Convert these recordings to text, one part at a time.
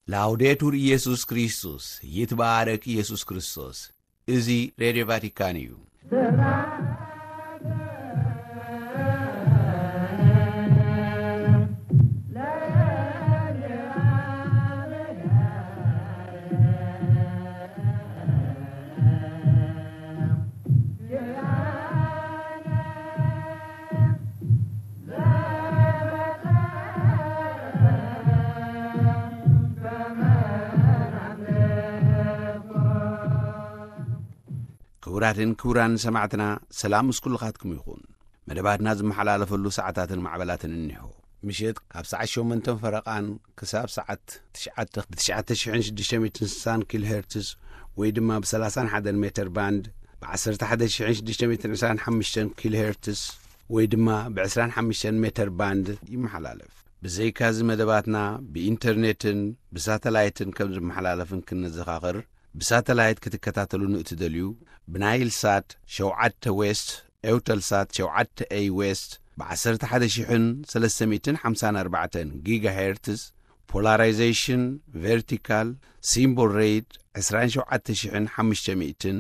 ላውዴቱር ኢየሱስ ክርስቶስ፣ ይትባረክ ኢየሱስ ክርስቶስ። እዚ ሬድዮ ቫቲካን እዩ። ክቡራትን ክቡራን ሰማዕትና፣ ሰላም ምስ ኩልኻትኩም ይኹን። መደባትና ዝመሓላለፈሉ ሰዓታትን ማዕበላትን እኒሆ። ምሸት ካብ ሰዓት ሸሞንተን ፈረቓን ክሳብ ሰዓት ትሽዓተ ብ ትሽዓተ ሽሕን ሽዱሽተ ሚእትን ስሳን ኪሎ ሄርትዝ ወይ ድማ ብ ሰላሳን ሓደን ሜተር ባንድ፣ ብ ዓሰርተ ሓደ ሽሕን ሽዱሽተ ሚእትን ዕስራን ሓሙሽተን ኪሎ ሄርትዝ ወይ ድማ ብ ዕስራን ሓሙሽተን ሜተር ባንድ ይመሓላለፍ። ብዘይካዚ መደባትና ብኢንተርኔትን ብሳተላይትን ከም ዝመሓላለፍን ክንዘኻኽር፣ ብሳተላይት ክትከታተሉ ንእትደልዩ፣ ብናይል ሳት ሸውዓተ ዌስት፣ ኤውተል ሳት ሸውዓተ ኤይ ዌስት፣ ብ ዓሰርተ ሓደ ሽሕን ሰለስተ ሚእትን ሓምሳን ኣርባዕተን ጊጋ ሄርትዝ፣ ፖላራይዜሽን ቨርቲካል፣ ሲምቦል ሬት ዕስራን ሸውዓተ ሽሕን ሓሙሽተ ሚእትን፣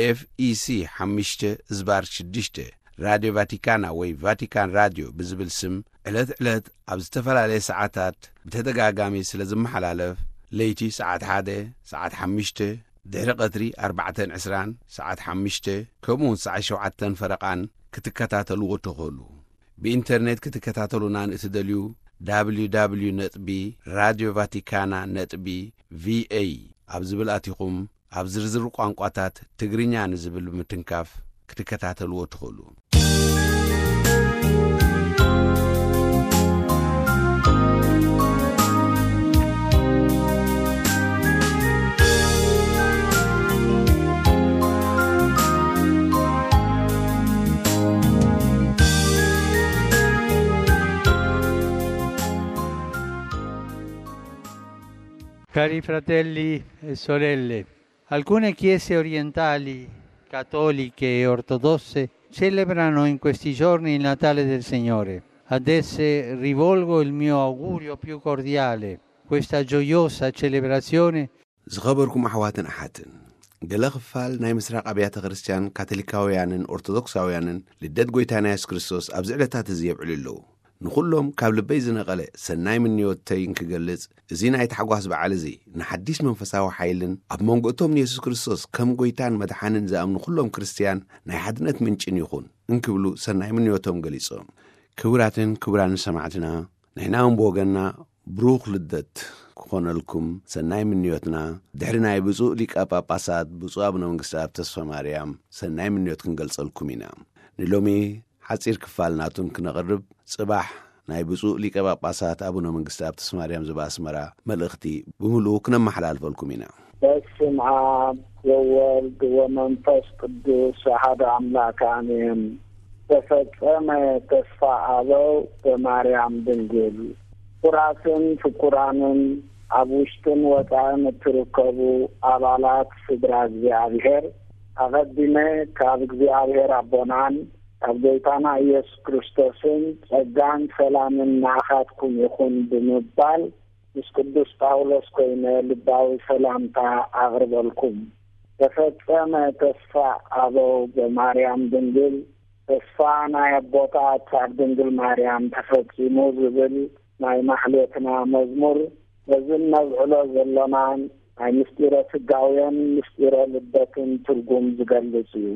ኤፍ ኢ ሲ ሓሙሽተ ዝባር ሽዱሽተ፣ ራድዮ ቫቲካና ወይ ቫቲካን ራድዮ ብዝብል ስም ዕለት ዕለት ኣብ ዝተፈላለየ ሰዓታት ብተደጋጋሚ ስለ ዝመሓላለፍ፣ ለይቲ ሰዓት ሓደ፣ ሰዓት ሓሙሽተ፣ ድሕሪ ቀትሪ ኣርባዕተን ዕስራን፣ ሰዓት ሓሙሽተ፣ ከምኡውን ሰዓት ሸውዓተን ፈረቓን ክትከታተልዎ ትኽእሉ። ብኢንተርኔት ክትከታተሉና ንእትደልዩ፣ www ነጥቢ ራድዮ ቫቲካና ነጥቢ ቪኤ ኣብ ዝብል ኣቲኹም፣ ኣብ ዝርዝር ቋንቋታት ትግርኛ ንዝብል ብምትንካፍ ክትከታተልዎ ትኽእሉ። Cari fratelli e sorelle, alcune chiese orientali, cattoliche e ortodosse celebrano in questi giorni il Natale del Signore. Ad esse rivolgo il mio augurio più cordiale. Questa gioiosa celebrazione. ዝኸበርኩም ኣሕዋትን ኣሓትን፣ ገለ ክፋል ናይ ምስራቕ ኣብያተ ክርስቲያን ካቶሊካውያንን ኦርቶዶክሳውያንን ልደት ጐይታና የሱስ ክርስቶስ ኣብዚ ዕለታት እዚ የብዕሉ ኣለዉ። ንኹሎም ካብ ልበይ ዝነቐለ ሰናይ ምንዮተይ እንክገልጽ፣ እዚ ናይ ታሕጓስ በዓል እዚ ንሓዲስ መንፈሳዊ ሓይልን ኣብ መንጎ እቶም ንየሱስ ክርስቶስ ከም ጐይታን መድሓንን ዝኣምኑ ኩሎም ክርስትያን ናይ ሓድነት ምንጭን ይኹን እንክብሉ ሰናይ ምንዮቶም ገሊጾም። ክቡራትን ክቡራንን ሰማዕትና፣ ንሕና እውን ብወገንና ብሩኽ ልደት ክኾነልኩም ሰናይ ምንዮትና ድሕሪ ናይ ብፁዕ ሊቀ ጳጳሳት ብፁዕ ኣቡነ መንግስቲ ኣብ ተስፋ ማርያም ሰናይ ምንዮት ክንገልጸልኩም ኢና። ንሎሚ ሓጺር ክፋል ናቱን ክነቕርብ፣ ጽባሕ ናይ ብፁዕ ሊቀ ጳጳሳት ኣቡነ መንግስቲ ኣብ ተስፋ ማርያም ዝባ ኣስመራ መልእኽቲ ብምሉኡ ክነመሓላልፈልኩም ኢና። በስም ኣብ ወወልድ ወመንፈስ ቅዱስ ኣሓደ ኣምላክ ኣሜን። ተፈጸመ ተስፋ ኣበው በማርያም ድንግል። ክቡራትን ፍቁራንን ኣብ ውሽጥን ወጻእን እትርከቡ ኣባላት ስድራ እግዚኣብሔር፣ ኣቐዲመ ካብ እግዚኣብሔር ኣቦናን ካብ ጎይታና ኢየሱስ ክርስቶስን ጸጋን ሰላምን ንዓኻትኩም ይኹን ብምባል ምስ ቅዱስ ጳውሎስ ኮይነ ልባዊ ሰላምታ ኣቕርበልኩም። ተፈጸመ ተስፋ ኣበው በማርያም ድንግል፣ ተስፋ ናይ ኣቦታት ኣብ ድንግል ማርያም ተፈጺሙ ዝብል ናይ ማሕሌትና መዝሙር በዚ እነብዕሎ ዘሎናን ናይ ምስጢረ ስጋውያን ምስጢረ ልደትን ትርጉም ዝገልጽ እዩ።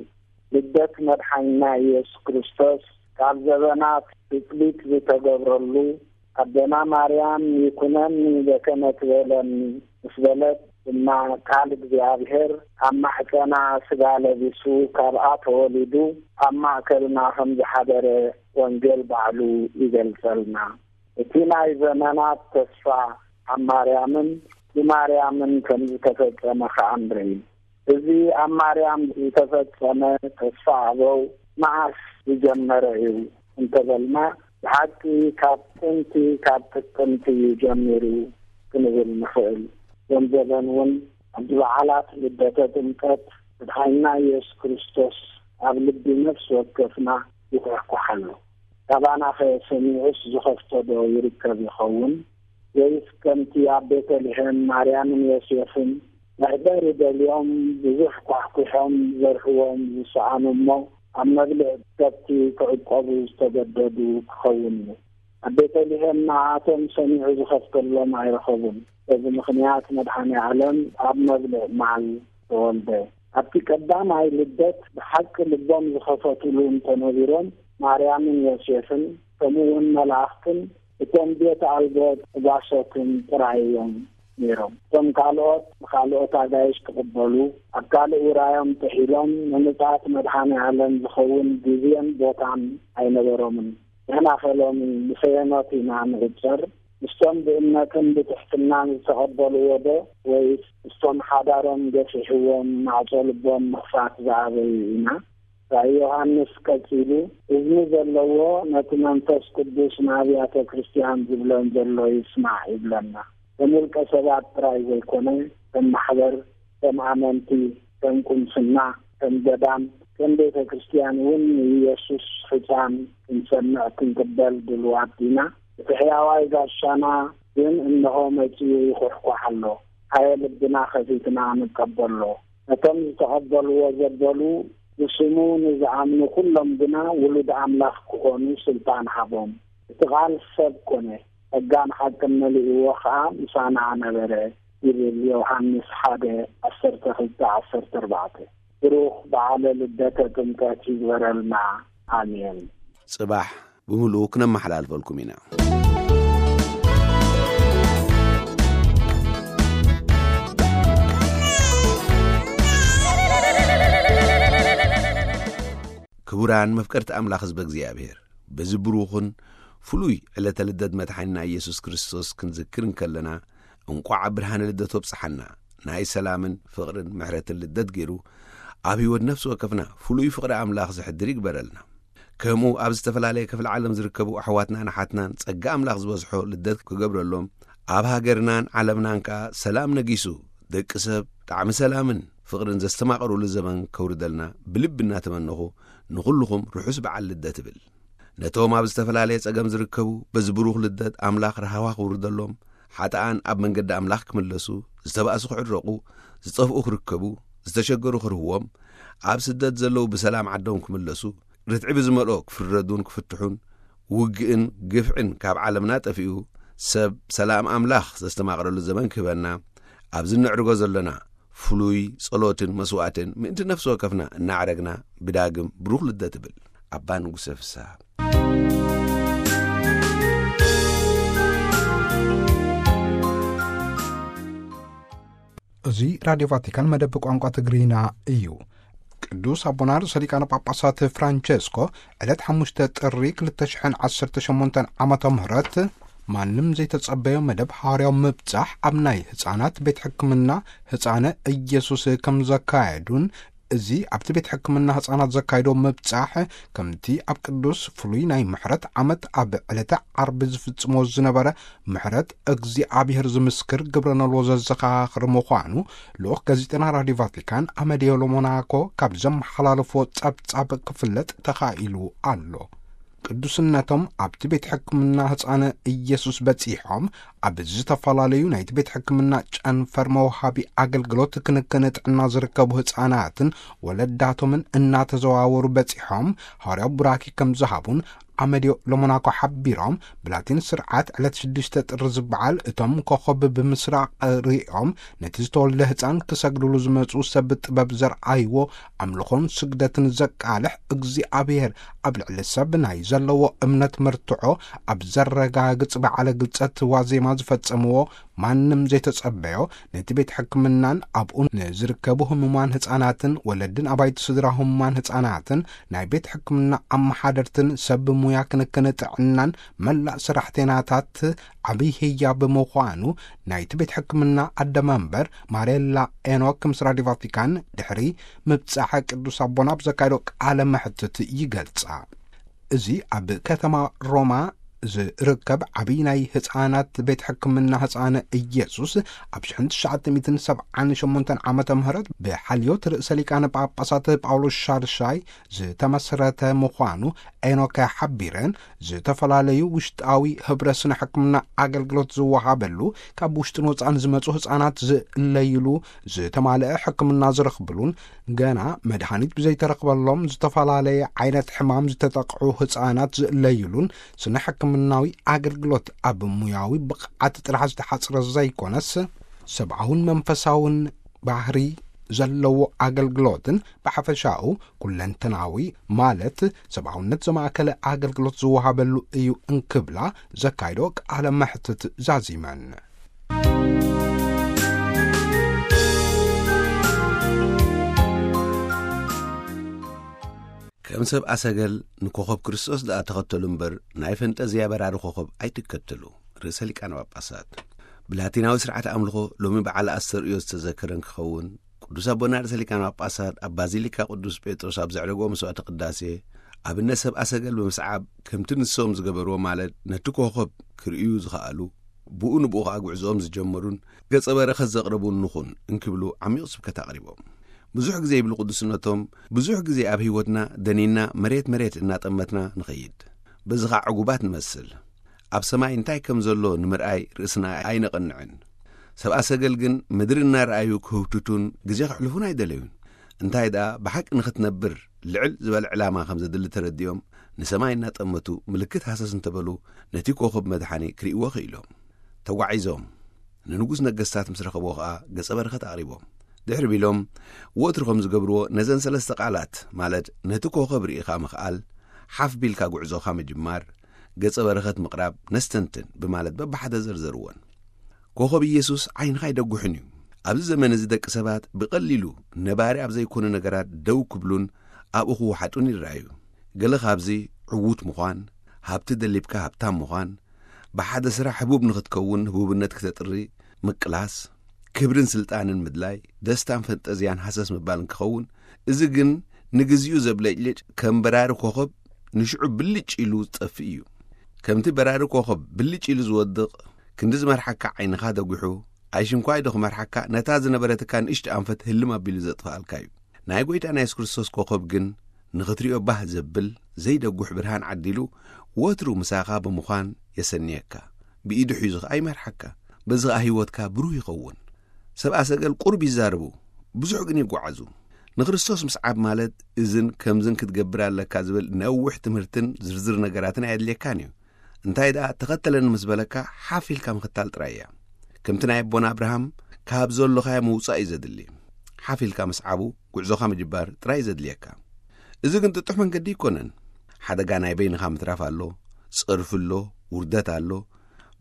ልደት መድሓኒና ኢየሱስ ክርስቶስ ካብ ዘበናት ትጽቢት ዝተገብረሉ ኣደና ማርያም ይኩነኒ በከመ ትቤለኒ ምስ በለት ድማ ቃል እግዚኣብሔር ኣብ ማሕፀና ስጋ ለቢሱ ካብኣ ተወሊዱ ኣብ ማእከልና ከም ዝሓደረ ወንጌል ባዕሉ ይገልጸልና። እቲ ናይ ዘመናት ተስፋ ኣብ ማርያምን ብማርያምን ከም ዝተፈጸመ ከኣ ንርኢ። እዚ ኣብ ማርያም ዝተፈጸመ ተስፋ ኣበው መዓስ ዝጀመረ እዩ እንተበልና፣ ብሓቂ ካብ ጥንቲ ካብ ጥቅምቲ እዩ ጀሚሩ ክንብል ንኽእል። ዞም ዘበን እውን ኣብዚ በዓላት ልደተ ጥምቀት መድሓኒና ኢየሱስ ክርስቶስ ኣብ ልቢ ነፍሲ ወከፍና ይኳሕኳሕ ኣሎ። ካባናኸ ሰሚዑስ ዝኸፍቶ ዶ ይርከብ ይኸውን? ወይስ ከምቲ ኣብ ቤተልሔም ማርያምን ዮሴፍን መሕደሪ ደልዮም ብዙሕ ኳሕኲሖም ዘርሕዎም ዝሰኣኑ እሞ ኣብ መብልዕ ከብቲ ክዕቆቡ ዝተገደዱ ክኸውን እዩ? ኣብ ቤተልሔም ንዓኣቶም ሰሚዑ ዝኸፍተሎም ኣይረኸቡን። በዚ ምኽንያት መድኃኔ ዓለም ኣብ መብልዕ ማል ተወልደ። ኣብቲ ቀዳማይ ልደት ብሓቂ ልቦም ዝኸፈቱሉ እንተነቢሮም ማርያምን ዮሴፍን ከምኡ እውን መላእኽትን እቶም ቤት ኣልቦ ጓሶትን ጥራይ እዮም ነይሮም። እቶም ካልኦት ንኻልኦት ኣጋይሽ ክቕበሉ ኣብ ካልእ ውራዮም ጥሒሎም ንምጽኣት መድኃኔ ዓለም ዝኸውን ግዜን ቦታን ኣይነበሮምን። ንሕና ኸ ሎሚ ብፈየኖት ኢና ንዕጸር? ምስቶም ብእምነትን ብትሕትናን ዝተቐበልዎ ዶ ወይስ ምስቶም ሓዳሮም ገፊሕዎም ማዕጾ ልቦም ምኽፋት ዝኣበዩ ኢና? ራእይ ዮሃንስ ቀጺሉ፣ እዝኒ ዘለዎ ነቲ መንፈስ ቅዱስ ንኣብያተ ክርስቲያን ዝብለን ዘሎ ይስማዕ ይብለና። ከም ውልቀ ሰባት ጥራይ ዘይኮነ፣ ከም ማሕበር፣ ከም ኣመንቲ፣ ከም ቁምስና፣ ከም ገዳም፣ ከም ቤተ ክርስቲያን እውን ንኢየሱስ ሕጻን ክንሰምዕ ክንቅበል ድልዋት ዲና? እቲ ሕያዋይ ጋሻና ግን እነሆ መጺኡ ይኹሕኳሕ ኣሎ። ኣየ ልብና ከፊትና ንቀበሎ። ነቶም ዝተቐበልዎ ዘበሉ ብስሙ ንዝኣምኑ ኩሎም ግና ውሉድ ኣምላኽ ክኾኑ ስልጣን ሃቦም። እቲ ቃል ሰብ ኮነ፣ ጸጋን ሓቅን መሊእዎ ኸኣ ምሳና ነበረ ይብል ዮሃንስ ሓደ፣ ዓሰርተ ክልተ፣ ዓሰርተ ኣርባዕተ። ብሩኽ በዓለ ልደተ ጥምቀት ይግበረልና። ኣሜን። ጽባሕ ብምሉኡ ክነመሓላልፈልኩም ኢና። ክቡራን መፍቀርቲ ኣምላኽ ህዝበ እግዚኣብሔር፣ በዚ ብሩኽን ፍሉይ ዕለተ ልደት መድሓኒና ኢየሱስ ክርስቶስ ክንዝክር እንከለና፣ እንቋዕ ኣብ ብርሃነ ልደት ወብጽሓና። ናይ ሰላምን ፍቕርን ምሕረትን ልደት ገይሩ ኣብ ህይወት ነፍሲ ወከፍና ፍሉይ ፍቕሪ ኣምላኽ ዘሕድር ይግበረልና። ከምኡ ኣብ ዝተፈላለየ ክፍሊ ዓለም ዝርከቡ ኣሕዋትናን ኣሓትናን ጸጋ ኣምላኽ ዝበዝሖ ልደት ክገብረሎም፣ ኣብ ሃገርናን ዓለምናን ከኣ ሰላም ነጊሱ፣ ደቂ ሰብ ጣዕሚ ሰላምን ፍቕርን ዘስተማቕሩሉ ዘመን ከውርደልና ብልቢ እናተመነኹ፣ ንኹልኹም ርሑስ በዓል ልደት እብል። ነቶም ኣብ ዝተፈላለየ ጸገም ዝርከቡ፣ በዚ ብሩኽ ልደት ኣምላኽ ራህዋ ክውርደሎም፣ ሓጥኣን ኣብ መንገዲ ኣምላኽ ክምለሱ፣ ዝተባእሱ ክዕረቑ፣ ዝጠፍኡ ክርከቡ፣ ዝተሸገሩ ክርህዎም፣ ኣብ ስደት ዘለዉ ብሰላም ዓዶም ክምለሱ፣ ርትዒ ብዝመልኦ ክፍረዱን ክፍትሑን፣ ውግእን ግፍዕን ካብ ዓለምና ጠፊኡ፣ ሰብ ሰላም ኣምላኽ ዘስተማቕረሉ ዘመን ክህበና፣ ኣብዚ እነዕርጎ ዘሎና ፍሉይ ጸሎትን መስዋዕትን ምእንቲ ነፍሲ ወከፍና እናዕረግና፣ ብዳግም ብሩኽ ልደት እብል። ኣባ ንጉሰ ፍስሃ። እዚ ራድዮ ቫቲካን መደብ ቋንቋ ትግርኛ እዩ። ቅዱስ ኣቦና ርእሰ ሊቃነ ጳጳሳት ፍራንቸስኮ ዕለት ሓሙሽተ ጥሪ ክልተ ሽሕን ዓሰርተ ሸሞንተን ዓመተ ምህረት ማንም ዘይተጸበዮ መደብ ሃዋርያዊ ምብጻሕ ኣብ ናይ ህጻናት ቤት ሕክምና ህጻነ ኢየሱስ ከም ዘካየዱን፣ እዚ ኣብቲ ቤት ሕክምና ህጻናት ዘካየዶ ምብጻሕ ከምቲ ኣብ ቅዱስ ፍሉይ ናይ ምሕረት ዓመት ኣብ ዕለተ ዓርቢ ዝፍጽሞ ዝነበረ ምሕረት እግዚኣብሔር ዝምስክር ግብረ ነልዎ ዘዘኻኽር ምዃኑ ልኡኽ ጋዜጠና ራድዮ ቫቲካን ኣመዲዮ ሎሞናኮ ካብ ዘመሓላለፎ ጸብጻብ ክፍለጥ ተኻኢሉ ኣሎ። ቅዱስነቶም ኣብቲ ቤት ሕክምና ህጻነ ኢየሱስ በጺሖም፣ ኣብ ዝተፈላለዩ ናይቲ ቤት ሕክምና ጨንፈር መውሃቢ ኣገልግሎት ክንክን ጥዕና ዝርከቡ ህጻናትን ወለዳቶምን እናተዘዋወሩ በጺሖም፣ ሃዋርያዊ ቡራኪ ከም ዝሃቡን ኣመዲዮ ሎሞናኮ ሓቢሮም፣ ብላቲን ስርዓት ዕለት ሽዱሽተ ጥሪ ዝበዓል እቶም ኮኸብ ብምስራቕ ርእዮም ነቲ ዝተወልደ ህጻን ክሰግድሉ ዝመጹ ሰብ ጥበብ ዘርኣይዎ ኣምልኾን ስግደትን ዘቃልሕ እግዚኣብሔር ኣብ ልዕሊ ሰብ ናይ ዘለዎ እምነት መርትዖ ኣብ ዘረጋግጽ በዓለ ግልጸት ዋዜማ ዝፈጸምዎ ማንም ዘይተጸበዮ ነቲ ቤት ሕክምናን ኣብኡ ንዝርከቡ ህሙማን ህጻናትን ወለድን ኣባይቲ ስድራ ህሙማን ህጻናትን ናይ ቤት ሕክምና ኣመሓደርትን ሰብ ሙያ ክንክን ጥዕናን መላእ ሰራሕተኛታት ዓብዪ ህያ ብምዃኑ ናይቲ ቤት ሕክምና ኣደ መንበር ማሬላ ኤኖክ ምስ ራድዮ ቫቲካን ድሕሪ ምብጻሐ ቅዱስ ኣቦና ኣብ ዘካየዶ ቃለ መሕትት ይገልጻ። እዚ ኣብ ከተማ ሮማ ዝርከብ ዓብዪ ናይ ህጻናት ቤት ሕክምና ህጻነ ኢየሱስ ኣብ ሽሕን ትሽዓተ ሚእትን ሰብዓን ሸሞንተን ዓመተ ምህረት ብሓልዮት ርእሰ ሊቃነ ጳጳሳት ጳውሎስ ሻድሻይ ዝተመስረተ ምዃኑ ኤኖከ ሓቢረን፣ ዝተፈላለዩ ውሽጣዊ ህብረ ስነ ሕክምና ኣገልግሎት ዝወሃበሉ፣ ካብ ውሽጥን ወፃእን ዝመፁ ህፃናት ዝእለይሉ፣ ዝተማልአ ሕክምና ዝረኽብሉን፣ ገና መድሃኒት ብዘይተረኽበሎም ዝተፈላለየ ዓይነት ሕማም ዝተጠቕዑ ህፃናት ዝእለይሉን፣ ስነ ሕክምናዊ ኣገልግሎት ኣብ ሙያዊ ብቕዓት ጥራሕ ዝተሓፅረ ዘይኮነስ፣ ሰብኣውን መንፈሳውን ባህሪ ዘለዎ ኣገልግሎትን፣ ብሓፈሻኡ ኩለንተናዊ፣ ማለት ሰብኣውነት ዘማእከለ ኣገልግሎት ዝወሃበሉ እዩ እንክብላ ዘካይዶ ቃለ መሕትት ዛዚመን። ከም ሰብ ኣሰገል ንኮኸብ ክርስቶስ ደኣ ተኸተሉ እምበር፣ ናይ ፈንጠዝያ በራሪ ኮኸብ ኣይትከተሉ። ርእሰ ሊቃነ ጳጳሳት። ብላቲናዊ ስርዓት ኣምልኾ ሎሚ በዓል ኣስተርእዮ ዝተዘከረን ክኸውን፣ ቅዱስ ኣቦና ርእሰ ሊቃነ ጳጳሳት ኣብ ባዚሊካ ቅዱስ ጴጥሮስ ኣብ ዘዕረግዎ መስዋዕተ ቅዳሴ፣ ኣብነት ሰብ ኣሰገል ብምስዓብ፣ ከምቲ ንሶም ዝገበርዎ፣ ማለት ነቲ ኮኸብ ክርእዩ ዝኸኣሉ፣ ብኡ ንብኡ ኸኣ ጉዕዞኦም ዝጀመሩን ገጸ በረኸት ዘቕረቡን ንኹን እንክብሉ ዓሚቕ ስብከት ኣቕሪቦም። ብዙሕ ግዜ ይብሉ ቅዱስነቶም፣ ብዙሕ ግዜ ኣብ ህይወትና ደኒና መሬት መሬት እናጠመትና ንኸይድ። በዚ ኸኣ ዕጉባት ንመስል። ኣብ ሰማይ እንታይ ከም ዘሎ ንምርኣይ ርእስና ኣይነቐንዕን። ሰብኣ ሰገል ግን ምድሪ እናረኣዩ ክህውትቱን ግዜ ከሕልፉን ኣይደለዩን። እንታይ ደኣ ብሓቂ ንኽትነብር ልዕል ዝበለ ዕላማ ከም ዘድሊ ተረዲኦም፣ ንሰማይ እናጠመቱ ምልክት ሃሰስ እንተበሉ፣ ነቲ ኮኸብ መድሓኒ ክርእይዎ ክኢሎም። ተጓዒዞም ንንጉስ ነገስታት ምስ ረኸብዎ ኸኣ ገጸ በረኸት ኣቕሪቦም። ድሕሪ ቢሎም ወትሩ ከም ዝገብርዎ ነዘን ሰለስተ ቃላት፣ ማለት ነቲ ኮኸብ ርኢኻ ምኽኣል፣ ሓፍ ቢልካ ጉዕዞኻ ምጅማር፣ ገጸ በረኸት ምቕራብ ነስተንትን ብማለት በብሓደ ዘርዘርወን። ኮኸብ ኢየሱስ ዓይንኻ ኣይደጉሕን እዩ። ኣብዚ ዘመን እዚ ደቂ ሰባት ብቐሊሉ ነባሪ ኣብ ዘይኮኑ ነገራት ደው ክብሉን ኣብኡ ክወሓጡን ይረኣዩ። ገለ ካብዚ ዕዉት ምዃን፣ ሃብቲ ደሊብካ ሃብታም ምዃን፣ ብሓደ ስራሕ ህቡብ ንኽትከውን ህቡብነት ክተጥሪ ምቅላስ፣ ክብርን ስልጣንን ምድላይ፣ ደስታን ፈንጠዝያን ሃሰስ ምባልን ክኸውን፣ እዚ ግን ንግዚኡ ዘብለጭልጭ ከም በራሪ ኮኸብ ንሽዑ ብልጭ ኢሉ ዝጠፍእ እዩ። ከምቲ በራሪ ኮኸብ ብልጭ ኢሉ ዝወድቕ፣ ክንዲ ዝመርሓካ ዓይንኻ ደጒሑ፣ ኣይሽንኳይ ዶ ክመርሓካ፣ ነታ ዝነበረትካ ንእሽቶ ኣንፈት ህልም ኣቢሉ ዘጥፍኣልካ እዩ። ናይ ጐይታና የሱስ ክርስቶስ ኮኸብ ግን ንኽትሪኦ ባህ ዘብል ዘይደጉሕ ብርሃን ዓዲሉ ወትሩ ምሳኻ ብምዃን የሰንየካ። ብኢዱ ሒዙ ኸኣ ይመርሓካ። በዚ ኸኣ ህይወትካ ብሩህ ይኸውን። ሰብኣ ሰገል ቁሩብ ይዛረቡ፣ ብዙሕ ግን ይጓዓዙ። ንክርስቶስ ምስዓብ ማለት እዝን ከምዝን ክትገብር ኣለካ ዝብል ነዊሕ ትምህርትን ዝርዝር ነገራትን ኣየድልየካን እዩ። እንታይ ደኣ ተኸተለኒ ምስ በለካ ሓፍ ኢልካ ምኽታል ጥራይ እያ። ከምቲ ናይ ኣቦና ኣብርሃም ካብ ዘሎኻዮ ምውጻእ እዩ ዘድሊ። ሓፍ ኢልካ ምስዓቡ ጉዕዞኻ ምጅባር ጥራይ እዩ ዘድልየካ። እዚ ግን ጥጡሕ መንገዲ ኣይኮነን። ሓደጋ ናይ በይንኻ ምትራፍ ኣሎ፣ ጸርፊ ኣሎ፣ ውርደት ኣሎ።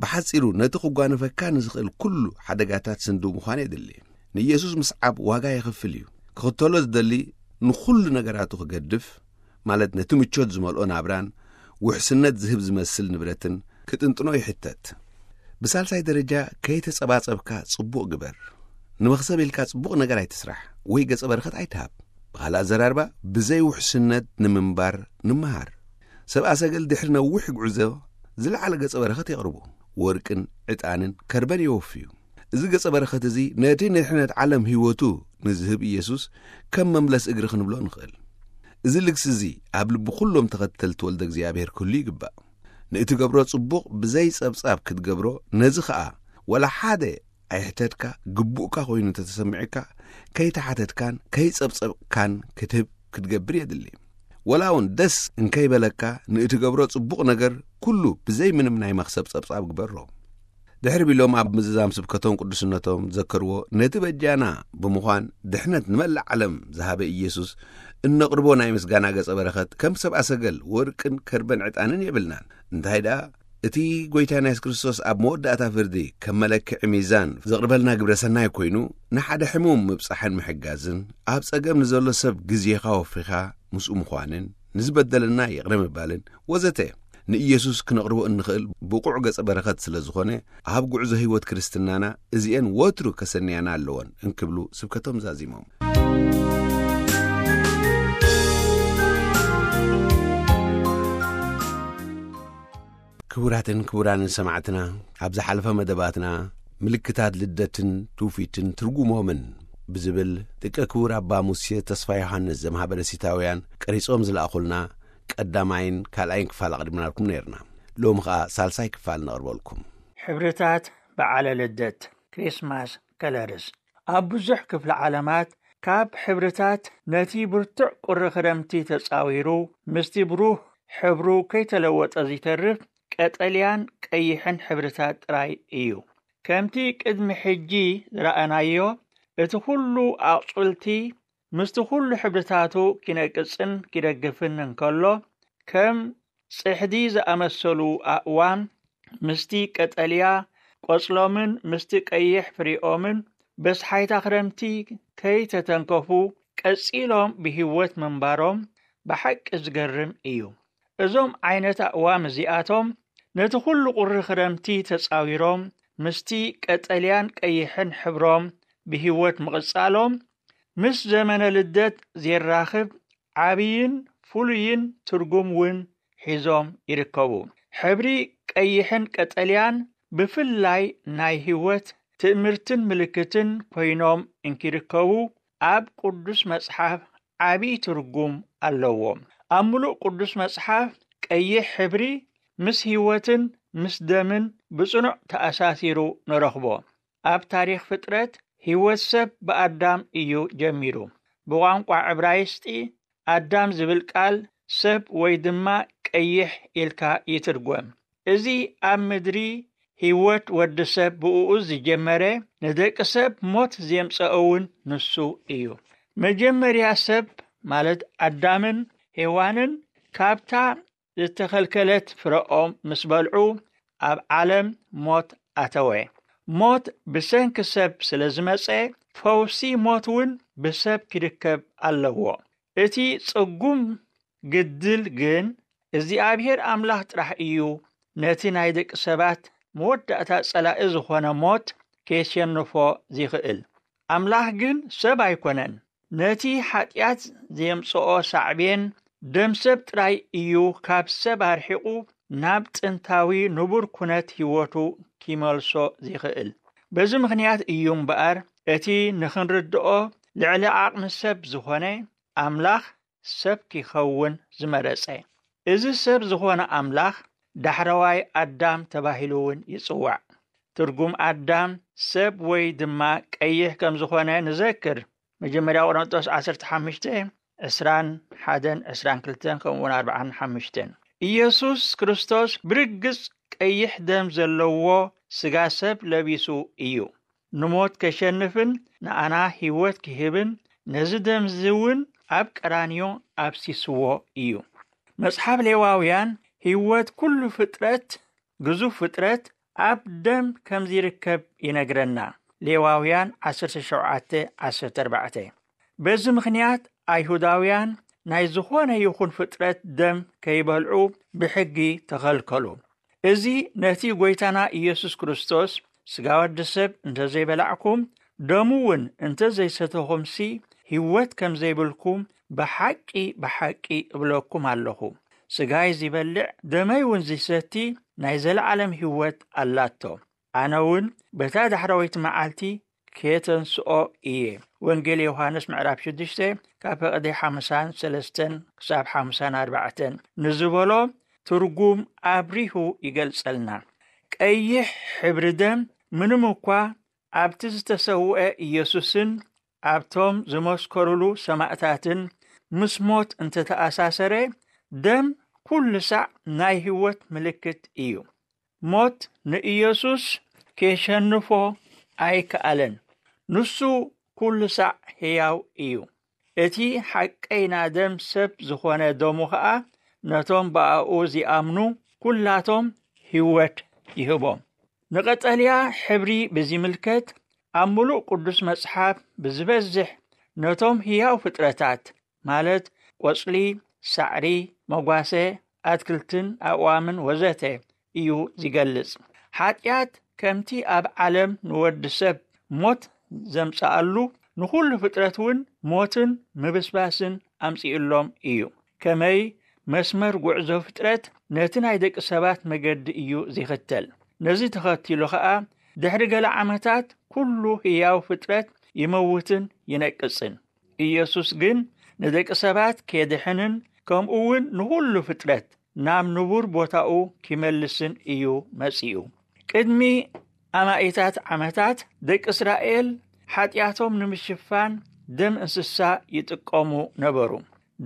ብሓጺሩ ነቲ ክጓነፈካ ንዝኽእል ኩሉ ሓደጋታት ስንድው ምዃን የድሊ። ንኢየሱስ ምስዓብ ዋጋ የኽፍል እዩ። ክኽተሎ ዝደሊ ንኹሉ ነገራቱ ክገድፍ፣ ማለት ነቲ ምቾት ዝመልኦ ናብራን ውሕስነት ዝህብ ዝመስል ንብረትን ክጥንጥኖ ይሕተት። ብሳልሳይ ደረጃ ከይተጸባጸብካ ጽቡቕ ግበር። ንመኽሰብ ኢልካ ጽቡቕ ነገር ኣይትስራሕ ወይ ገጸ በረኸት ኣይትሃብ። ብኻልእ ኣዘራርባ ብዘይ ውሕስነት ንምንባር ንምሃር። ሰብኣ ሰገል ድሕሪ ነዊሕ ጉዕዞ ዝለዓለ ገጸ በረኸት የቕርቡ። ወርቅን ዕጣንን ከርበን የወፍዩ። እዚ ገጸ በረኸት እዚ ነቲ ንድሕነት ዓለም ህይወቱ ንዝህብ ኢየሱስ ከም መምለስ እግሪ ክንብሎ ንኽእል። እዚ ልግሲ እዚ ኣብ ልቢ ኩሎም ተኸተልቲ ወልደ እግዚኣብሔር ክህሉ ይግባእ። ንእትገብሮ ጽቡቕ ብዘይ ጸብጻብ ክትገብሮ፣ ነዚ ኸኣ ወላ ሓደ ኣይሕተትካ፣ ግቡእካ ኮይኑ እንተተሰሚዑካ፣ ከይተሓተትካን ከይጸብጸብካን ክትህብ ክትገብር የድሊ። ወላ እውን ደስ እንከይበለካ፣ ንእትገብሮ ጽቡቕ ነገር ኩሉ ብዘይ ምንም ናይ መኽሰብ ጸብጻብ ግበሮ። ድሕሪ ቢሎም ኣብ ምዝዛም ስብከቶም ቅዱስነቶም ዘከርዎ፣ ነቲ በጃና ብምዃን ድሕነት ንመላእ ዓለም ዝሃበ ኢየሱስ እነቕርቦ ናይ ምስጋና ገጸ በረኸት ከም ሰብኣ ሰገል ወርቅን ከርበን ዕጣንን የብልናን። እንታይ ደኣ፣ እቲ ጐይታና የሱስ ክርስቶስ ኣብ መወዳእታ ፍርዲ ከም መለክዒ ሚዛን ዘቕርበልና ግብረ ሰናይ ኮይኑ፣ ንሓደ ሕሙም ምብጻሕን ምሕጋዝን፣ ኣብ ጸገም ንዘሎ ሰብ ግዜኻ ወፊኻ ምስኡ ምዃንን፣ ንዝበደለና ይቕረ ምባልን ወዘተ ንኢየሱስ ክነቕርቦ እንኽእል ብቑዕ ገጸ በረኸት ስለ ዝኾነ፣ ኣብ ጉዕዞ ህይወት ክርስትናና እዚኤን ወትሩ ከሰንያና ኣለወን እንክብሉ ስብከቶም ዛዚሞም። ክቡራትን ክቡራንን ሰማዕትና፣ ኣብ ዝሓለፈ መደባትና ምልክታት ልደትን ትውፊትን ትርጉሞምን ብዝብል ደቂ ክቡር ኣባ ሙሴ ተስፋ ዮሃንስ ዘማህበረ ሲታውያን ቀሪጾም ዝለኣኹልና ቀዳማይን ካልኣይን ክፋል ኣቕዲምናልኩም ነይርና። ሎሚ ኸኣ ሳልሳይ ክፋል ነቕርበልኩም። ሕብርታት በዓለ ልደት፣ ክሪስማስ ከለርስ። ኣብ ብዙሕ ክፍለ ዓለማት ካብ ሕብርታት ነቲ ብርቱዕ ቁሪ ክረምቲ ተጻዊሩ፣ ምስቲ ብሩህ ሕብሩ ከይተለወጠ ዚተርፍ ቀጠልያን ቀይሕን ሕብርታት ጥራይ እዩ። ከምቲ ቅድሚ ሕጂ ዝረኣናዮ፣ እቲ ኩሉ ኣቑጽልቲ ምስቲ ኩሉ ሕብርታቱ ኪነቅጽን ኪደግፍን እንከሎ፣ ከም ጽሕዲ ዝኣመሰሉ ኣእዋም ምስቲ ቀጠልያ ቆጽሎምን ምስቲ ቀይሕ ፍሪኦምን በስሓይታ ክረምቲ ከይተተንከፉ ቀጺሎም ብህይወት ምንባሮም ብሓቂ ዝገርም እዩ። እዞም ዓይነት ኣእዋም እዚኣቶም ነቲ ኩሉ ቁሪ ክረምቲ ተጻዊሮም ምስቲ ቀጠልያን ቀይሕን ሕብሮም ብህይወት ምቕጻሎም ምስ ዘመነ ልደት ዜራኽብ ዓብይን ፍሉይን ትርጉም እውን ሒዞም ይርከቡ። ሕብሪ ቀይሕን ቀጠልያን ብፍላይ ናይ ህይወት ትእምርትን ምልክትን ኮይኖም እንኪርከቡ ኣብ ቅዱስ መጽሓፍ ዓብይ ትርጉም ኣለዎም። ኣብ ምሉእ ቅዱስ መጽሓፍ ቀይሕ ሕብሪ ምስ ህይወትን ምስ ደምን ብጽኑዕ ተኣሳሲሩ ንረኽቦ። ኣብ ታሪኽ ፍጥረት ህይወት ሰብ ብኣዳም እዩ ጀሚሩ። ብቋንቋ ዕብራይስጢ ኣዳም ዝብል ቃል ሰብ ወይ ድማ ቀይሕ ኢልካ ይትርጎም። እዚ ኣብ ምድሪ ህይወት ወዲ ሰብ ብእኡ ዝጀመረ ንደቂ ሰብ ሞት ዜምጸኦ እውን ንሱ እዩ። መጀመርያ ሰብ ማለት ኣዳምን ሄዋንን ካብታ ዝተኸልከለት ፍረኦም ምስ በልዑ ኣብ ዓለም ሞት ኣተወ። ሞት ብሰንኪ ሰብ ስለ ዝመጸ ፈውሲ ሞት እውን ብሰብ ክርከብ ኣለዎ። እቲ ጽጉም ግድል ግን እግዚኣብሔር ኣምላኽ ጥራሕ እዩ ነቲ ናይ ደቂ ሰባት መወዳእታ ጸላኢ ዝኾነ ሞት ኬሸንፎ ዚኽእል። ኣምላኽ ግን ሰብ ኣይኮነን። ነቲ ሓጢኣት ዜምጽኦ ሳዕቤን ደም ሰብ ጥራይ እዩ ካብ ሰብ ኣርሒቑ ናብ ጥንታዊ ንቡር ኩነት ህይወቱ ኪመልሶ ዚኽእል። በዚ ምኽንያት እዩ እምበኣር እቲ ንኽንርድኦ ልዕሊ ዓቕሚ ሰብ ዝኾነ ኣምላኽ ሰብ ኪኸውን ዝመረጸ። እዚ ሰብ ዝኾነ ኣምላኽ ዳሕረዋይ ኣዳም ተባሂሉ እውን ይጽዋዕ። ትርጉም ኣዳም ሰብ ወይ ድማ ቀይሕ ከም ዝኾነ ንዘክር። መጀመርያ ቆሮንቶስ ዓሰርተ ሓሙሽተ ዕስራን ሓደን ዕስራን ክልተን ከምኡ እውን ኣርባዓን ሓሙሽተን። ኢየሱስ ክርስቶስ ብርግጽ ቀይሕ ደም ዘለዎ ስጋ ሰብ ለቢሱ እዩ። ንሞት ከሸንፍን ንኣና ህይወት ክህብን ነዚ ደምዚ እውን ኣብ ቀራንዮ ኣብሲስዎ እዩ። መጽሓፍ ሌዋውያን ህይወት ኩሉ ፍጥረት፣ ግዙፍ ፍጥረት ኣብ ደም ከም ዚርከብ ይነግረና። ሌዋውያን ዓሰርተ ሸውዓተ ዓሰርተ ኣርባዕተ። በዚ ምኽንያት ኣይሁዳውያን ናይ ዝኾነ ይኹን ፍጥረት ደም ከይበልዑ ብሕጊ ተኸልከሉ። እዚ ነቲ ጐይታና ኢየሱስ ክርስቶስ ስጋ ወዲ ሰብ እንተ ዘይበላዕኩም ደሙ እውን እንተ ዘይሰተኹምሲ ህይወት ከም ዘይብልኩም ብሓቂ ብሓቂ እብለኩም ኣለኹ። ስጋይ ዚበልዕ ደመይ እውን ዚሰቲ ናይ ዘለዓለም ህይወት ኣላቶ። ኣነ እውን በታ ዳሕረወይቲ መዓልቲ ኬተንስኦ እየ። ወንጌል ዮሃንስ ምዕራፍ ሽዱሽተ ካብ ፈቐዲ ሓምሳን ሰለስተን ክሳብ ሓምሳን ኣርባዕተን ንዝበሎ ትርጉም ኣብሪሁ ይገልጸልና። ቀይሕ ሕብሪ ደም ምንም እኳ ኣብቲ ዝተሰውአ ኢየሱስን ኣብቶም ዝመስከሩሉ ሰማእታትን ምስ ሞት እንተተኣሳሰረ፣ ደም ኩሉ ሳዕ ናይ ህይወት ምልክት እዩ። ሞት ንኢየሱስ ኬሸንፎ ኣይከኣለን። ንሱ ኩሉ ሳዕ ሕያው እዩ። እቲ ሓቀይና ደም ሰብ ዝኾነ ደሙ ኸኣ ነቶም ብኣኡ ዚኣምኑ ኩላቶም ህይወት ይህቦም። ንቐጠልያ ሕብሪ ብዚምልከት ኣብ ምሉእ ቅዱስ መጽሓፍ ብዝበዝሕ ነቶም ህያው ፍጥረታት ማለት ቆጽሊ፣ ሳዕሪ፣ መጓሰ፣ ኣትክልትን ኣእዋምን ወዘተ እዩ ዚገልጽ። ሓጢኣት ከምቲ ኣብ ዓለም ንወዲ ሰብ ሞት ዘምጽኣሉ ንኹሉ ፍጥረት እውን ሞትን ምብስባስን ኣምጺኡሎም እዩ። ከመይ መስመር ጉዕዞ ፍጥረት ነቲ ናይ ደቂ ሰባት መገዲ እዩ ዚኽተል። ነዚ ተኸቲሉ ኸኣ ድሕሪ ገለ ዓመታት ኩሉ ህያው ፍጥረት ይመውትን ይነቅጽን። ኢየሱስ ግን ንደቂ ሰባት ኬድሕንን ከምኡ እውን ንኹሉ ፍጥረት ናብ ንቡር ቦታኡ ኪመልስን እዩ መጺኡ። ቅድሚ ኣማኢታት ዓመታት ደቂ እስራኤል ሓጢኣቶም ንምሽፋን ደም እንስሳ ይጥቀሙ ነበሩ።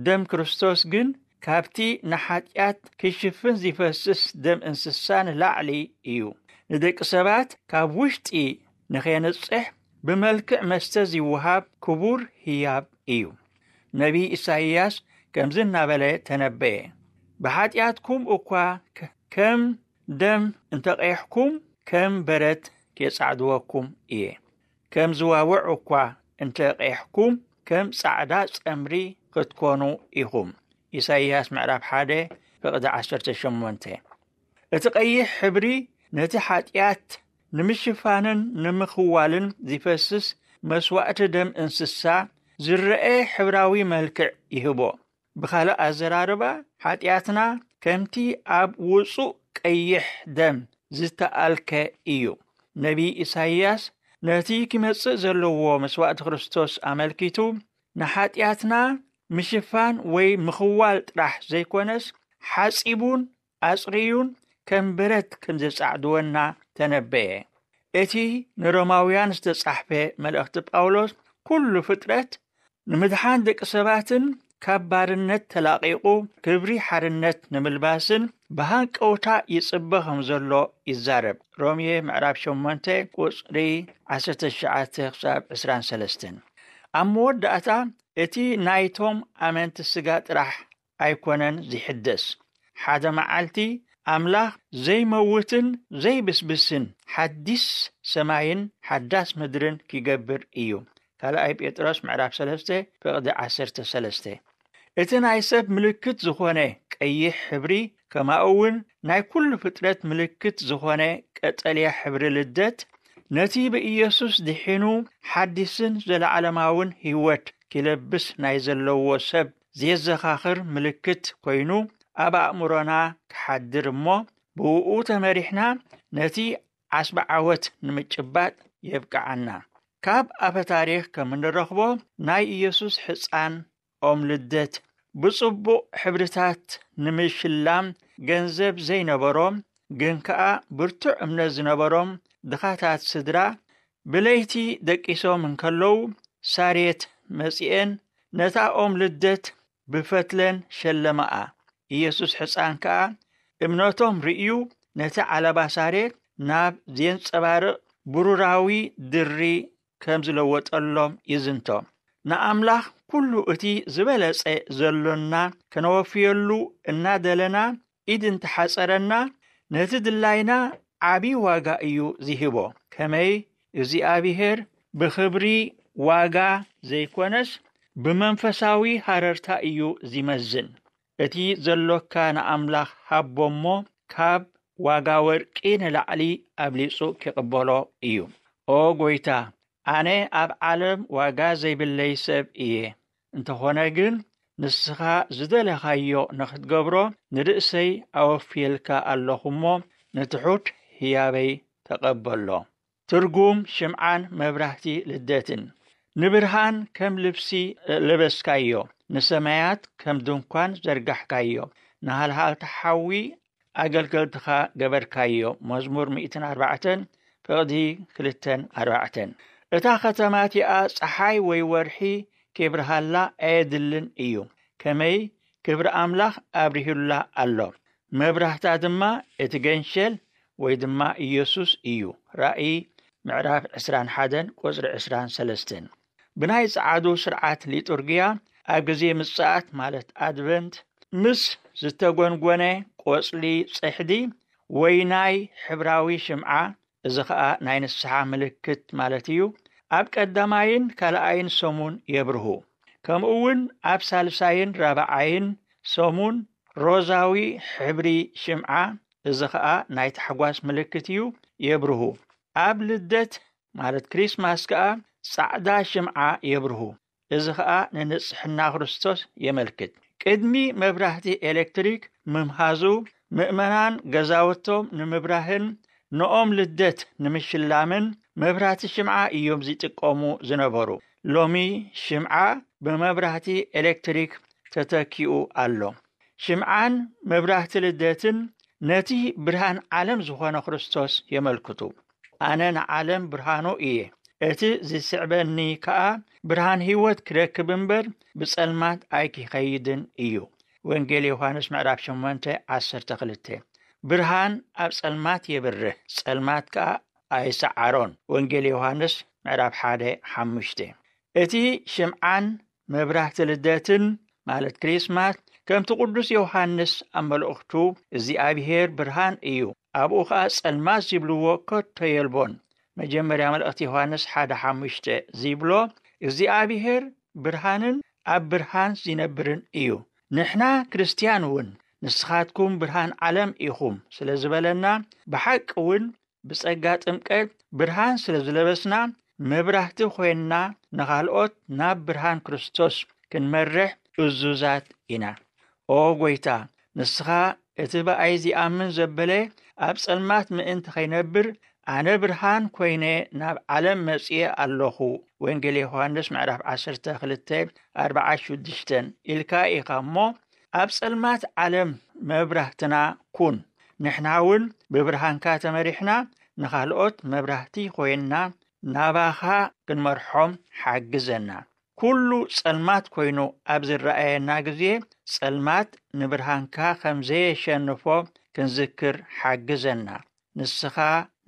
ደም ክርስቶስ ግን ካብቲ ንሓጢኣት ክሽፍን ዝፈስስ ደም እንስሳ ንላዕሊ እዩ። ንደቂ ሰባት ካብ ውሽጢ ንኸየንጽሕ ብመልክዕ መስተ ዝወሃብ ክቡር ህያብ እዩ። ነቢይ ኢሳይያስ ከምዚ እናበለ ተነበየ፣ "ብሓጢኣትኩም እኳ ከ-፣ ከም ደም እንተቐይሕኩም፣ ከም በረት ኬጻዕድወኩም እየ። ከም ዝዋውዕ እኳ እንተቐይሕኩም፣ ከም ጻዕዳ ጸምሪ ክትኮኑ ኢኹም።" ኢሳይያስ ምዕራፍ ሓደ ፍቕዲ ዓሰርተ ሸሞንተ። እቲ ቀይሕ ሕብሪ ነቲ ሓጢኣት ንምሽፋንን ንምኽዋልን ዝፈስስ መስዋእቲ ደም እንስሳ ዝረአ ሕብራዊ መልክዕ ይህቦ። ብኻልእ ኣዘራርባ፣ ሓጢኣትና ከምቲ ኣብ ውጹእ ቀይሕ ደም ዝተኣልከ እዩ። ነቢይ ኢሳይያስ ነቲ ኪመጽእ ዘለዎ መስዋእቲ ክርስቶስ ኣመልኪቱ፣ ንሓጢኣትና ምሽፋን ወይ ምኽዋል ጥራሕ ዘይኮነስ፣ ሓጺቡን ኣጽርዩን ከም በረት ከም ዘጻዕድወና ተነበየ። እቲ ንሮማውያን ዝተጻሕፈ መልእኽቲ ጳውሎስ፣ ኩሉ ፍጥረት ንምድሓን ደቂ ሰባትን ካብ ባርነት ተላቒቑ ክብሪ ሓርነት ንምልባስን ብሃንቀውታ ይጽበ ከም ዘሎ ይዛረብ። ሮሜ ምዕራፍ ሸሞንተ ቁጽሪ ዓሰርተ ትሽዓተ ክሳብ ዕስራን ሰለስተን። ኣብ መወዳእታ፣ እቲ ናይቶም ኣመንቲ ስጋ ጥራሕ ኣይኮነን ዝሕደስ። ሓደ መዓልቲ ኣምላኽ ዘይመውትን ዘይብስብስን ሓዲስ ሰማይን ሓዳስ ምድርን ኪገብር እዩ። ካልኣይ ጴጥሮስ ምዕራፍ ሰለስተ ፍቕዲ ዓሰርተ ሰለስተ። እቲ ናይ ሰብ ምልክት ዝኾነ ቀይሕ ሕብሪ፣ ከማኡ እውን ናይ ኩሉ ፍጥረት ምልክት ዝኾነ ቀጠልያ ሕብሪ ልደት፣ ነቲ ብኢየሱስ ድሒኑ ሓዲስን ዘለዓለማውን ህይወት ኪለብስ ናይ ዘለዎ ሰብ ዘዘኻኽር ምልክት ኮይኑ ኣብ ኣእምሮና ክሓድር እሞ፣ ብእኡ ተመሪሕና ነቲ ዓስቢ ዓወት ንምጭባጥ የብቅዓና። ካብ ኣፈ ታሪኽ ከም እንረኽቦ፣ ናይ ኢየሱስ ሕፃን ኦም ልደት ብጽቡቕ ሕብርታት ንምሽላም ገንዘብ ዘይነበሮም፣ ግን ከኣ ብርቱዕ እምነት ዝነበሮም ድኻታት ስድራ፣ ብለይቲ ደቂሶም እንከለዉ፣ ሳሬት መጺኤን ነታ ኦም ልደት ብፈትለን ሸለማኣ። ኢየሱስ ሕፃን ከኣ እምነቶም ርእዩ፣ ነቲ ዓለባ ሳሬት ናብ ዜንጸባርቕ ብሩራዊ ድሪ ከም ዝለወጠሎም ይዝንቶ። ንኣምላኽ ኩሉ እቲ ዝበለጸ ዘሎና ከነወፍየሉ እናደለና፣ ኢድ እንተሓጸረና፣ ነቲ ድላይና ዓቢ ዋጋ እዩ ዝህቦ። ከመይ እግዚኣብሔር ብኽብሪ ዋጋ ዘይኮነስ፣ ብመንፈሳዊ ሃረርታ እዩ ዝመዝን። እቲ ዘሎካ ንኣምላኽ ሃቦ እሞ፣ ካብ ዋጋ ወርቂ ንላዕሊ ኣብሊጹ ኪቕበሎ እዩ። ኦ ጐይታ፣ ኣነ ኣብ ዓለም ዋጋ ዘይብለይ ሰብ እየ። እንተኾነ ግን፣ ንስኻ ዝደለኻዮ ንኽትገብሮ ንርእሰይ ኣወፍየልካ ኣለኹ እሞ፣ ንትሑት ህያበይ ተቐበሎ። ትርጉም ሽምዓን መብራህቲ ልደትን። ንብርሃን ከም ልብሲ ለበስካዮ፣ ንሰማያት ከም ድንኳን ዘርጋሕካዮ፣ ንሃልሃልቲ ሓዊ ኣገልገልትኻ ገበርካዮ። መዝሙር ሚእትን ኣርባዕተን ፍቕዲ ክልተን ኣርባዕተን። እታ ኸተማ እቲኣ ጸሓይ ወይ ወርሒ ኬብርሃላ ኣየድልን እዩ። ከመይ ክብሪ ኣምላኽ ኣብሪሁላ ኣሎ። መብራህታ ድማ እቲ ገንሸል ወይ ድማ ኢየሱስ እዩ። ራእይ ምዕራፍ ዕስራን ሓደን ቁጽሪ ዕስራን ሰለስተን። ብናይ ጸዓዱ ስርዓት ሊጡርግያ ኣብ ግዜ ምጽኣት ማለት ኣድቨንት ምስ ዝተጎንጎነ ቆጽሊ ጽሕዲ ወይ ናይ ሕብራዊ ሽምዓ፣ እዚ ኸኣ ናይ ንስሓ ምልክት ማለት እዩ፣ ኣብ ቀዳማይን ካልኣይን ሰሙን የብርሁ። ከምኡ እውን ኣብ ሳልሳይን ራብዓይን ሰሙን ሮዛዊ ሕብሪ ሽምዓ፣ እዚ ኸኣ ናይ ታሕጓስ ምልክት እዩ፣ የብርሁ። ኣብ ልደት ማለት ክሪስማስ ከኣ ጻዕዳ ሽምዓ የብርሁ። እዚ ኸኣ ንንጽሕና ክርስቶስ የመልክት። ቅድሚ መብራህቲ ኤሌክትሪክ ምምሃዙ፣ ምእመናን ገዛውቶም ንምብራህን ንኦም ልደት ንምሽላምን መብራህቲ ሽምዓ እዮም ዝጥቀሙ ዝነበሩ። ሎሚ ሽምዓ ብመብራህቲ ኤሌክትሪክ ተተኪኡ ኣሎ። ሽምዓን መብራህቲ ልደትን ነቲ ብርሃን ዓለም ዝኾነ ክርስቶስ የመልክቱ። "ኣነ ንዓለም ብርሃኑ እየ። እቲ ዝስዕበኒ ከኣ ብርሃን ህይወት ክረክብ እምበር ብጸልማት ኣይኪኸይድን እዩ።" ወንጌል ዮሃንስ ምዕራፍ ሸሞንተ ዓሰርተ ክልተ። ብርሃን ኣብ ጸልማት የብርህ፣ ጸልማት ከኣ ኣይሰዓሮን። ወንጌል ዮሃንስ ምዕራፍ ሓደ ሓሙሽተ። እቲ ሽምዓን መብራህቲ ልደትን ማለት ክሪስማስ፣ ከምቲ ቅዱስ ዮሃንስ ኣብ መልእኽቱ "እግዚኣብሄር ብርሃን እዩ፣ ኣብኡ ኸኣ ጸልማት ዝብልዎ ከቶ የልቦን" መጀመርያ መልእኽቲ ዮሃንስ ሓደ ሓሙሽተ ዝብሎ፣ እግዚኣብሄር ብርሃንን ኣብ ብርሃን ዝነብርን እዩ። ንሕና ክርስትያን እውን "ንስኻትኩም ብርሃን ዓለም ኢኹም" ስለ ዝበለና፣ ብሓቂ እውን ብጸጋ ጥምቀት ብርሃን ስለ ዝለበስና፣ መብራህቲ ኮይንና ንኻልኦት ናብ ብርሃን ክርስቶስ ክንመርሕ እዙዛት ኢና። "ኦ ጎይታ፣ ንስኻ እቲ ብኣይ ዚኣምን ዘበለ ኣብ ጸልማት ምእንቲ ኸይነብር፣ ኣነ ብርሃን ኮይነ ናብ ዓለም መጺኤ ኣለኹ።" ወንጌል ዮሃንስ ምዕራፍ ዓሰርተ ክልተ ኣርብዓ ሽዱሽተ ኢልካ ኢኻ እሞ፣ ኣብ ጸልማት ዓለም መብራህትና ኩን። ንሕና እውን ብብርሃንካ ተመሪሕና፣ ንኻልኦት መብራህቲ ኮይንና ናባኻ ክንመርሖም ሓግዘና። ኩሉ ጸልማት ኮይኑ ኣብ ዝረኣየና ግዜ፣ ጸልማት ንብርሃንካ ከም ዘየሸንፎ ክንዝክር ሓግዘና። ንስኻ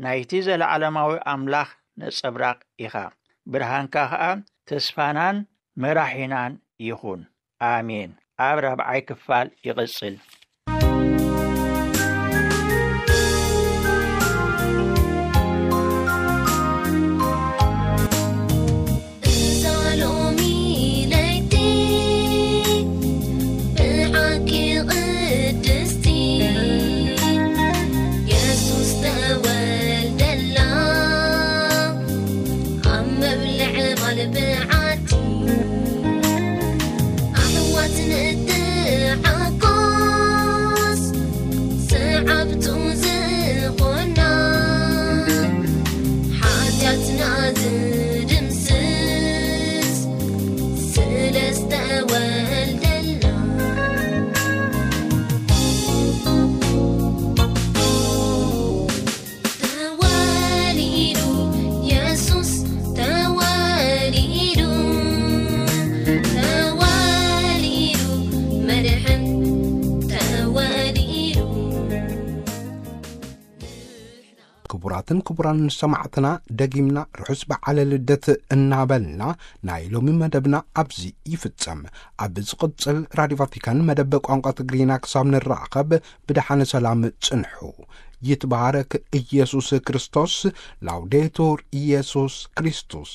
ናይቲ ዘለዓለማዊ ኣምላኽ ነጸብራቕ ኢኻ። ብርሃንካ ኸኣ ተስፋናን መራሒናን ይኹን። ኣሜን። ኣብ ራብዓይ ክፋል ይቕጽል። እዛ ሎሚ ለይቲ ብሓቂ ቅድስቲ፣ የሱስ ተወልደላ ኣብ መብልዕ ማልብዓቲ። ኣሕዋት ንትዓቆስ፣ ሰዓብቱ ዝኾና፣ ሓጢኣትና ዝድምስስ ስለ ዝተወልደልና። ተወሊዱ የሱስ ተወሊዱ፣ ተወሊዱ መድሕን ተወሊዱ። ክቡራትን ክቡራን ሰማዕትና፣ ደጊምና ርሑስ በዓለ ልደት እናበልና ናይ ሎሚ መደብና ኣብዚ ይፍጸም። ኣብ ዝቕጽል ራድዮ ቫቲካን መደብ ቋንቋ ትግርኛ ክሳብ ንራኸብ ብደሓን ሰላም ጽንሑ። ይትባረክ ኢየሱስ ክርስቶስ። ላውዴቱር ኢየሱስ ክርስቶስ።